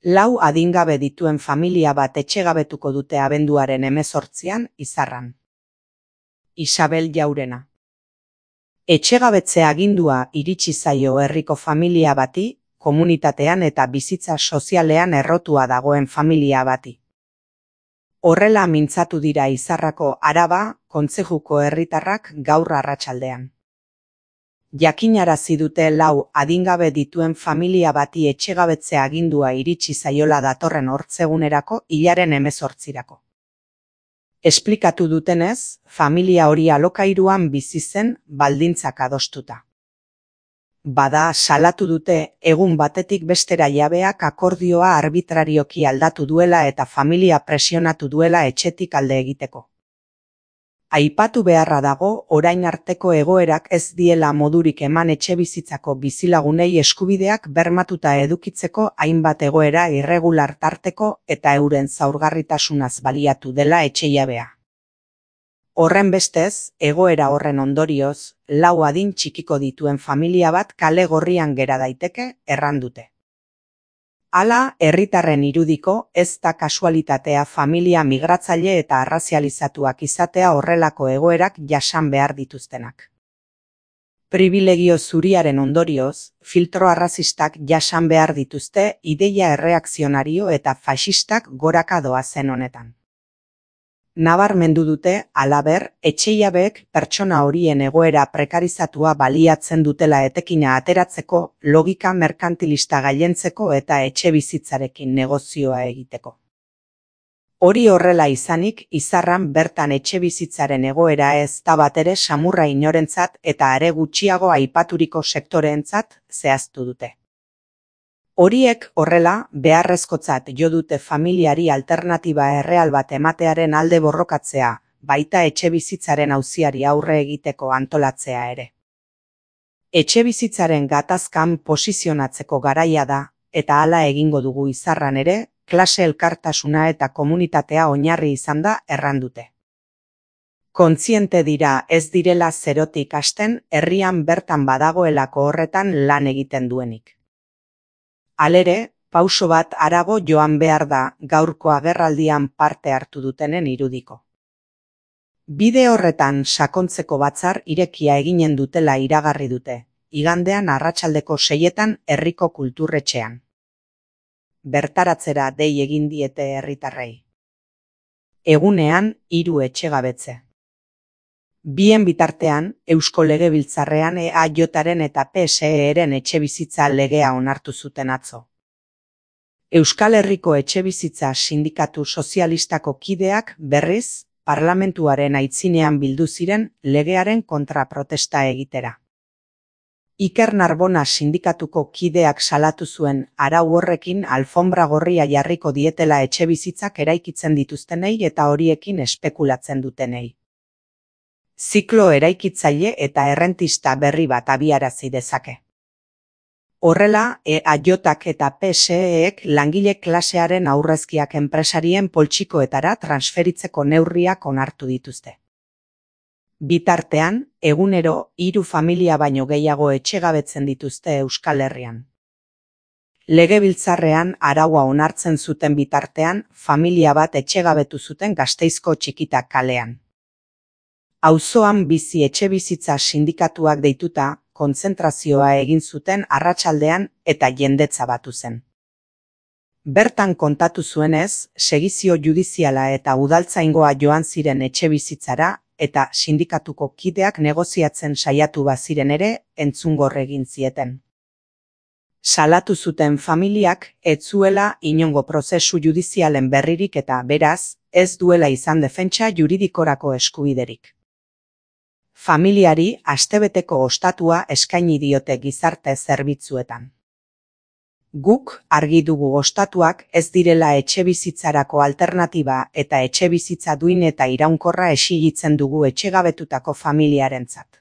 4 adingabe dituen familia bat etxegabetuko dute abenduaren 18an Izarran. Isabel Jaurena. Etxegabetze agindua iritsi zaio herriko familia bati, komunitatean eta bizitza sozialean errotua dagoen familia bati. Horrela mintzatu dira Izarrako Araba kontzejuko herritarrak gaur arratsaldean. Jakinarazi dute 4 adingabe dituen familia bati etxegabetze agindua iritsi zaiola datorren ortzegunerako hilaren 18irako. Esplikatu dutenez, familia hori alokairuan bizi zen baldintzak adostuta. Bada, salatu dute egun batetik bestera jabeak akordioa arbitrarioki aldatu duela eta familia presionatu duela etxetik alde egiteko. Aipatu beharra dago, orain arteko egoerak ez diela modurik eman etxebizitzako bizilagunei eskubideak bermatuta edukitzeko hainbat egoera irregular tarteko eta euren zaurgarritasunaz baliatu dela etxejabea. Horren bestez, egoera horren ondorioz, 4 adin txikiko dituen familia bat kale gorrian gera daiteke, errandute. Hala, herritarren irudiko, ez da kasualitatea familia migratzaile eta arrazializatuak izatea horrelako egoerak jasan behar dituztenak. Pribilegio zuriaren ondorioz, filtro arrazistak jasan behar dituzte ideia erreakzionario eta faxistak goraka doazen honetan. Nabarmendu dute, halaber, etxeiabeek pertsona horien egoera prekarizatua baliatzen dutela etekina ateratzeko, logika merkantilista gailentzeko eta etxebizitzarekin negozioa egiteko. Hori horrela izanik, Izarran bertan etxebizitzaren egoera ez da batere samurra inorentzat eta are gutxiago aipaturiko sektoreentzat zehaztu dute. Horiek horrela, beharrezkotzat jo dute familiari alternatiba erreal bat ematearen alde borrokatzea, baita etxebizitzaren auziari aurre egiteko antolatzea ere. Etxebizitzaren gatazkan posizionatzeko garaia da, eta hala egingo dugu Izarran ere, klase elkartasuna eta komunitatea oinarri izan da errandute. Kontziente dira ez direla zerotik hasten herrian bertan badagoelako horretan lan egiten duenik. Halere, pauso bat harago joan behar da gaurko agerraldian parte hartu dutenen irudiko. Bide horretan sakontzeko batzar irekia eginen dutela iragarri dute, igandean arratsaldeko 6etan herriko kulturretxean. Bertaratzera dei egin diete herritarrei. Egunean 3 etxegabetze. Bien bitartean, Eusko Legebiltzarrean EAJaren eta PSE-ren etxebizitza legea onartu zuten atzo. Euskal Herriko Etxebizitza Sindikatu Sozialistako kideak berriz, parlamentuaren aitzinean bildu ziren legearen kontra protesta egitera. Iker Narbona sindikatuko kideak salatu zuen arau horrekin alfombra gorria jarriko dietela etxebizitzak eraikitzen dituztenei eta horiekin espekulatzen dutenei. Ziklo eraikitzaile eta errentista berri bat abiarazi dezake. Horrela, EAJak eta PSEek langile klasearen aurrezkiak enpresarien poltsikoetara transferitzeko neurriak onartu dituzte. Bitartean, egunero 3 familia baino gehiago etxegabetzen dituzte Euskal Herrian. Legebiltzarrean araua onartzen zuten bitartean, familia bat etxegabetu zuten Gasteizko Txikita kalean. Auzoan bizi etxebizitza sindikatuak deituta, kontzentrazioa egin zuten arratsaldean eta jendetza batu zen. Bertan kontatu zuenez, segizio judiziala eta udaltzaingoa joan ziren etxebizitzara eta sindikatuko kideak negoziatzen saiatu baziren ere entzungor egin zieten. Salatu zuten familiak ez zuela inongo prozesu judizialen berririk eta beraz, ez duela izan defentsa juridikorako eskubiderik. Familiari astebeteko ostatua eskaini diote gizarte zerbitzuetan. Guk argi dugu ostatuak ez direla etxebizitzarako alternatiba eta etxebizitza duin eta iraunkorra exigitzen dugu etxegabetutako familiarentzat.